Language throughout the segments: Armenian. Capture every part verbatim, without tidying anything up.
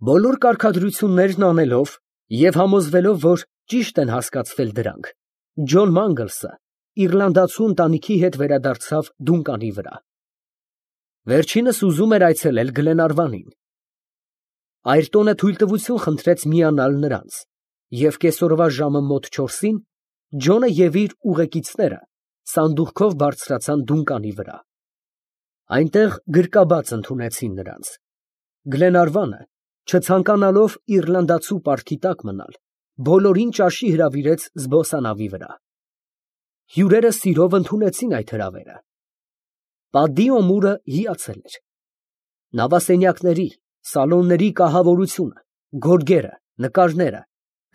Բոլոր կարգադրություններն անելով և համոզվելով, որ ճիշտ են հասկացվել դրանք, Ջոն Մանգլսը իռլանդացու ընտանիքի հետ վերադարձավ Դունկանի վրա։ Վերջինս ուզում էր այցելել Գլենարվանին։ Այրտոնը թույլտվություն խնդրեց միանալ նրանց, և կեսօրվա ժամը մոտ չորսին Ջոնը և իր ուղեկիցները սանդուղքով բարձրացան Դունկանի վրա։ Այնտեղ գրկաբաց ընդունեցին նրանց։ Գլենարվանը, չցանկանալով իռլանդացու պարտքի տակ մնալ, բոլորին ճաշի հրավիրեց զբոսանավի վրա։ Հյուրերը սիրով ընդունեցին այդ հրավերը։ Պատի օմուրը հիացել էր։ Նավասենյակների, սալոնների կահավորությունը, գորգերը, նկարները,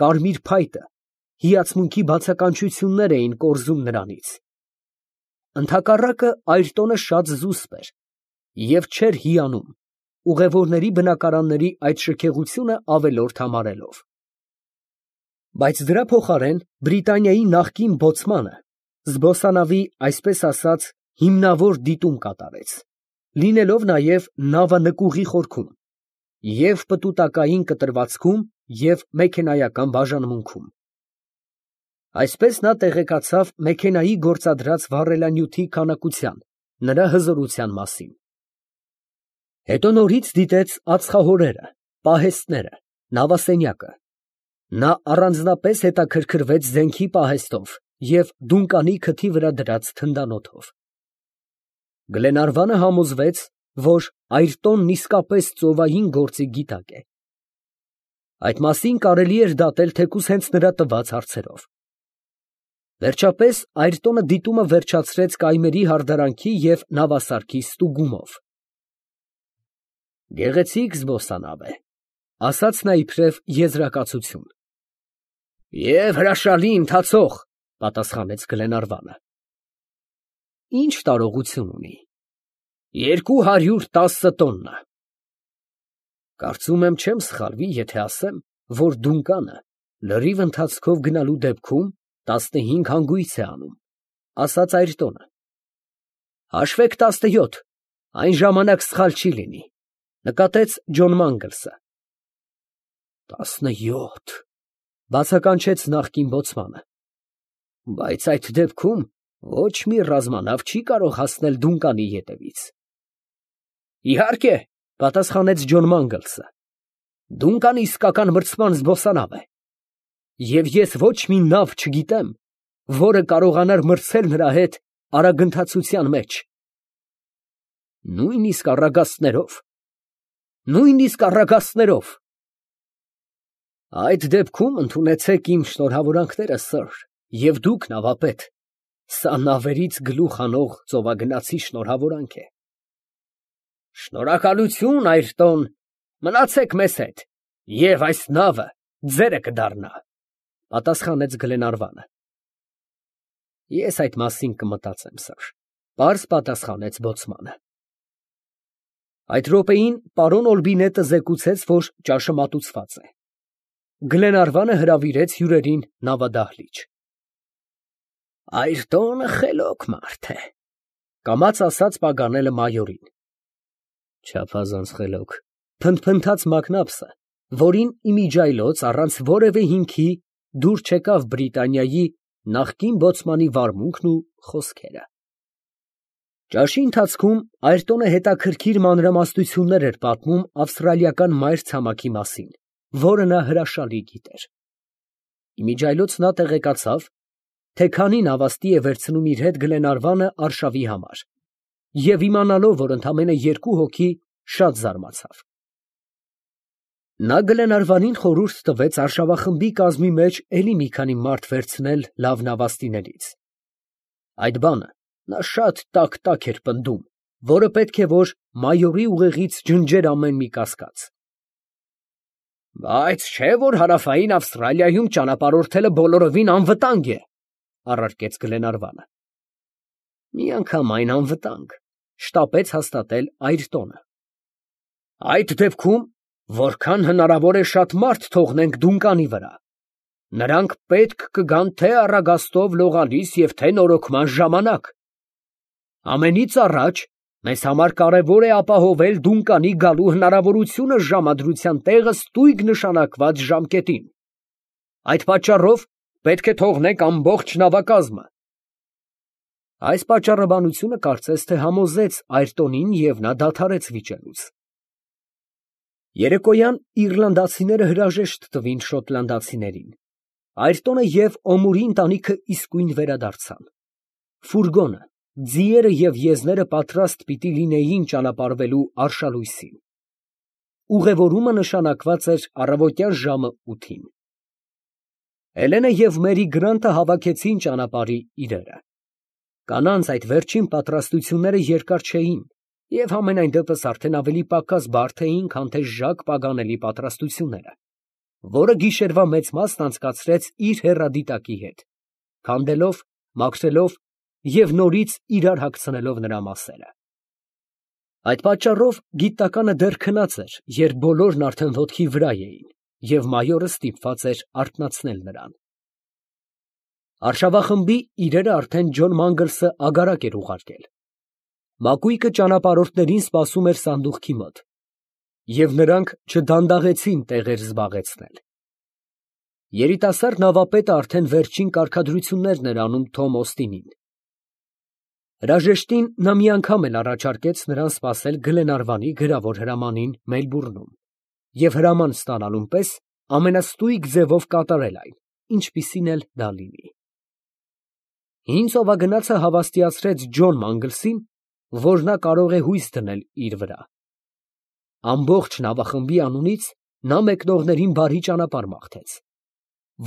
կարմիր փայտը հիացմունքի բացականչություններ էին կորզում նրանից։ Ընդհակառակը Այրտոնը շատ զուսպ էր և չէր հիանում, ուղևորների բնակարանների այդ շքեղությունը ավելորդ համարելով։ Բայց դրա փոխարեն Բրիտանիայի նախկին բոցմանը զբոսանավի, այսպես ասած, հիմնավոր դիտում կատարեց, լինելով նաև նավանկուղի խորքում, և պտուտակային կտրվածքում և մեքենայական բաժանմունքում։ Այսպես նա տեղեկացավ մեքենայի գործադրած վառելանյութի քանակության, նրա հզորության մասին։ Հետո նորից դիտեց ածխահորերը, պահեստները, նավասենյակը։ Նա առանձնապես հետաքրքրվեց զենքի պահեստով և Դունկանի քթի վրա դրած թնդանոթով։ Գլենարվանը համոզվեց, որ Այրտոնն իսկապես ծովային գործի գիտակ է։ Այդ մասին կարելի էր դատել թեկուզ հենց նրա տված հարցերով։ Վերջապես Այրտոնը դիտումը վերջացրեց կայմերի հարդարանքի և նավասարքի ստուգումով։ Գեղեցիկ զբոսանավ է, ասաց նա իբրև եզրակացություն։ Եվ հրաշալի ընթացող, պատասխանեց Գլենարվանը։ Ինչ տարողություն ունի։ Երկու հարյուր տասը տոննա։ Կարծում եմ չեմ սխալվի, եթե ասեմ, որ Դունկանը լրիվ ընթացքով գնալու դեպքում տասնհինգ հանգույց է անում, ասաց Այրտոնը։ Հաշվեք տասնյոթ, այն ժամանակ սխալ չի լինի, նկատեց Ջոն Մանգլսը։ Տասնյոթ, բացականչեց նախկին բոցմանը։ Բայց այդ դեպքում ոչ մի ռազմանավ չի կարող հասնել Դունկանի ետևից։ Իհարկե, պատասխանեց Ջոն Մանգլսը, Դունկանը իսկական մրցման զբոսանավ է, և ես ոչ մի նավ չգիտեմ, որը կարողանար մրցել նրա հետ արագընթացության մեջ։ Նույնիսկ առագաստներով։ Նույնիսկ առագաստներով։ Այդ դեպքում ընդունեցեք իմ շնորհավորանքները, սըր, և դուք նավապետ, սա նավերից գլուխ անող ծովագնացի շնորհավորանք է։ Շնորհակալություն, Այրտոն, մնացեք մեզ հետ, և այս նավը ձերը կդառնա, պատասխանեց Գլենարվանը։ Ես այդ մասին կմտածեմ, սըր, պարզ պատասխանեց բոցմանը։ Այդ րոպեին պարոն Օլբինետը զեկուցեց, որ ճաշը մատուցված է։ Գլենարվանը հրավիրեց հյուրերին նավադահլիճ։ Այրտոնը խելոք մարդ է, կամաց ասաց Պագանելը մայորին։ Չափազանց խելոք, փնթփնթաց Մակնաբսը, որին իմիջիայլոց առանց որևէ հիմքի դուր չեկավ Բրիտանիայի նախկին բոցմանի վարմունքն ու խոսքերը։ Ճաշի ընթացքում Այրտոնը հետաքրքիր մանրամասնություններ էր պատմում ավստրալիական մայրցամաքի մասին, որը նա հրաշալի գիտեր։ Իմիջիայլոց նա տեղեկացավ, թե քանի նավաստի է վերցնում իր հետ Գլենարվանը արշավի համար, և իմանալով, որ ընդամենը երկու հոգի, շատ զարմացավ։ Նա Գլենարվանին խորհուրդ տվեց արշավախմբի կազմի մեջ էլի մի քանի մարդ վերցնել լավ նավաստիներից։ Այդ բանը նա շատ տաք֊տաք էր պնդում, որը պետք է որ մայորի ուղեղից ջնջեր ամեն մի կասկած։ Բայց չէ՞ որ հարավային Ավստրալիայում ճանապարհորդելը բոլորովին անվտանգ է, առարկեց Գլենարվանը։ Միանգամայն անվտանգ, շտապեց հաստատել Այրտոնը։ Այդ դեպքում որքան հնարավոր է շատ մարդ թողնենք Դունկանի վրա։ Նրանք պետք կգան թե առագաստով լողալիս և թե նորոգման ժամանակ։ Ամենից առաջ Մեզ համար կարևոր է ապահովել Դունկանի գալու հնարավորությունը ժամադրության տեղը ստույգ նշանակված ժամկետին։ Այդ պատճառով պետք է թողնեք ամբողջ նավակազմը։ Այս պատճառաբանությունը կարծես թե համոզեց Այրտոնին և նա դադարեց վիճելուց։ Երեկոյան իռլանդացիները հրաժեշտ տվին շոտլանդացիներին։ Այրտոնը և Օմուրի ընտանիքը իսկույն վերադարձան։ Ֆուրգոնը, ձիերը և եզները պատրաստ պիտի լինեին ճանապարհվելու արշալույսին։ Ուղևորումը նշանակված էր առավոտյան ժամը ութին։ Էլենը և Մերի Գրանտը հավաքեցին ճանապարհի իրերը։ Կանանց այդ վերջին պատրաստությունները երկար չէին և համենայն դեպս արդեն ավելի պակաս բարդ էին, քան թե Ժակ Պագանելի պատրաստությունները, որը գիշերվա մեծ մասն անցկացրեց իր հեռադիտակի հետ, քանդելով, մաքրելով և նորից իրար հագցնելով նրա մասերը։ Այդ պատճառով գիտականը դեռ քնած էր, երբ բոլորն արդեն ոտքի վրա էին, և մայորը ստիպված էր արթնացնել նրան։ Արշավախմբի իրերը արդեն Ջոն Մանգլսը ագարակ էր ուղարկել։ Մակույկը ճանապարհորդներին սպասում էր սանդուղքի մոտ, և նրանք չդանդաղեցին տեղեր զբաղեցնել։ Երիտասարդ նավապետը արդեն վերջին կարգադրություններն էր անում Թոմ Օստինին։ Հրաժեշտին նա մի անգամ էլ առաջարկեց նրան սպասել Գլենարվանի գրավոր հրամանին Մելբուրնում և հրաման ստանալուն պես ամենաստույգ ձևով կատարել այն, ինչպիսին էլ դա լինի։ Հին ծովագնացը հավաստիացրեց Ջոն Մանգլսին, որ նա կարող է հույս դնել իր վրա։ Ամբողջ նավախմբի անունից նա մեկնողներին բարի ճանապարհ մաղթեց։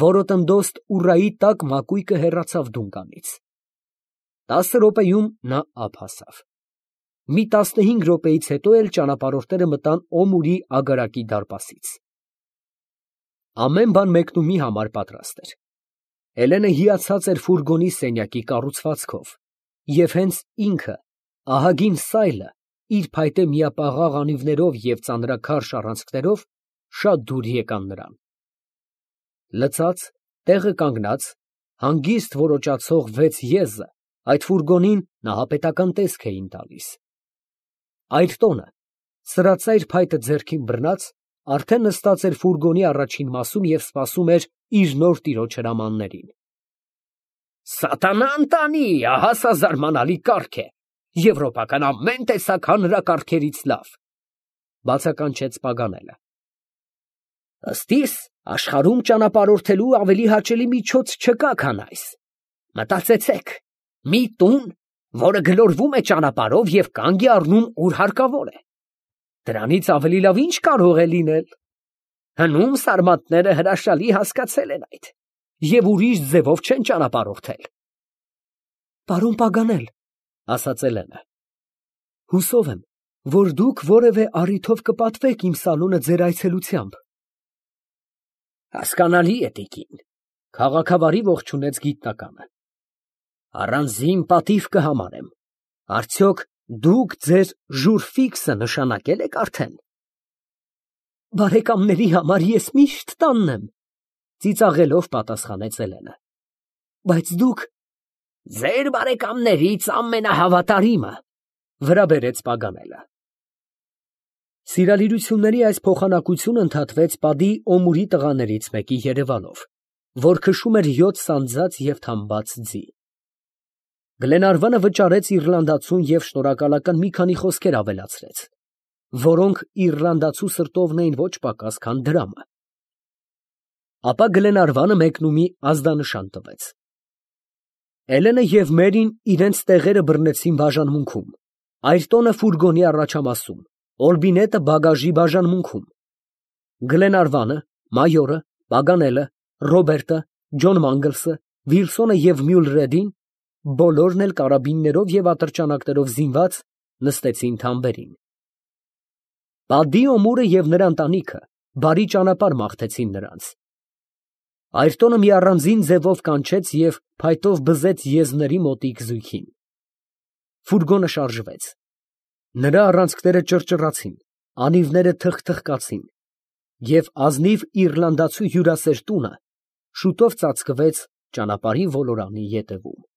Որոտնդոստ ուռայի տակ մակույկը հեռացավ Դունկանից։ Տասը րոպեում նա ափ հասավ։ Մի տասնհինգ րոպեից հետո էլ ճանապարհորդները մտան Օմուրի ագարակի դարպասից։ Ամեն բան մեկնումի համար պատրաստ էր։ Էլենը հիացած էր ֆուրգոնի սենյակի կառուցվածքով, և հենց ինքը, ահագին սայլը, իր փայտե միապաղաղ անիվներով և ծանրաքարշ առանցքներով շատ դուր եկան նրան։ Լցած, տեղը կանգնած, հանգիստ որոճացող վեց եզը այդ ֆուրգոնին նահապետական տեսք էին տալիս։ Այրտոնը, սրածայր փայտը ձեռքին բռնած, արդեն նստած էր ֆուրգոնի առաջին մասում և սպասում էր իր նոր տիրոջ հրամաններին։ «Սատանա ընտանի, ահա սա զարմանալի կառք է, եվրոպական ամեն տեսակ հանրակարգերից լավ», ֊ բացականչեց Պագանելը։ «Ըստ իս, աշխարհում ճանապարհորդելու ավելի հաճելի միջոց չկա, քան այս։ Մտածեցեք, մի տուն, որը գլորվում է ճանապարհով և կանգ է առնում, ուր հարկավոր է։ Դրանից ավելի լավ ի՞նչ կարող է լինել։ Հնում սարմատները հրաշալի հասկացել են այդ և ուրիշ ձևով չեն ճանապարհորդել»։ «Պարոն Պագանել, ֊ ասաց Էլենը, ֊ հուսով եմ, որ դուք որևէ առիթով կպատվեք իմ սալոնը ձեր այցելությամբ»։ «Հասկանալի է, տիկին, ֊ քաղաքավարի ողջունեց գիտնականը, ֊ առանձին պատիվ կհամարեմ։ Արդյոք դուք ձեր ժուր֊ֆիքսը նշանակել եք արդեն»։ «Բարեկամների համար ես միշտ տանն եմ, ֊ ծիծաղելով պատասխանեց Էլենը, ֊ բայց դուք…» «Ձեր բարեկամներից ամենահավատարիմը, ֊ վրա բերեց Պագանելը։ Սիրալիրությունների այս փոխանակությունը ընդհատվեց Պատի Օմուրի տղաներից մեկի երևանով, որ քշում էր յոթ սանձած և թամբած ձի։ Գլենարվանը վճարեց իռլանդացուն և շնորհակալական մի քանի խոսքեր ավելացրեց, որոնք իռլանդացու սրտովն էին ոչ պակաս, քան դրամը։ Ապա Գլենարվանը մեկնումի ազդանշան տվեց։ Էլենը և Մերին իրենց տեղերը բռնեցին բաժանմունքում, Այրտոնը ֆուրգոնի առաջամասում, Օլբինետը բագաժի բաժանմունքում։ Գլենարվանը, մայորը, Պագանելը, Ռոբերտը, Ջոն Մանգլսը, Վիլսոնը և Մյուլրեդին, բոլորն էլ կարաբիններով և ատրճանակներով զինված, նստեցին թամբերին։ Պատի Օմուրը և նրա ընտանիքը բարի ճանապարհ մաղթեցին նրանց։ Այրտոնը մի առանձին ձևով կանչեց և փայտով բզեց եզների մոտիկ զույգին։ Ֆուրգոնը շարժվեց։ Նրա առանցքները ճռճռացին, անիվները թխթխկացին, և ազնիվ իռլանդացու հյուրասեր տունը շուտով ծածկվեց ճանապարհի ոլորանի ետևում։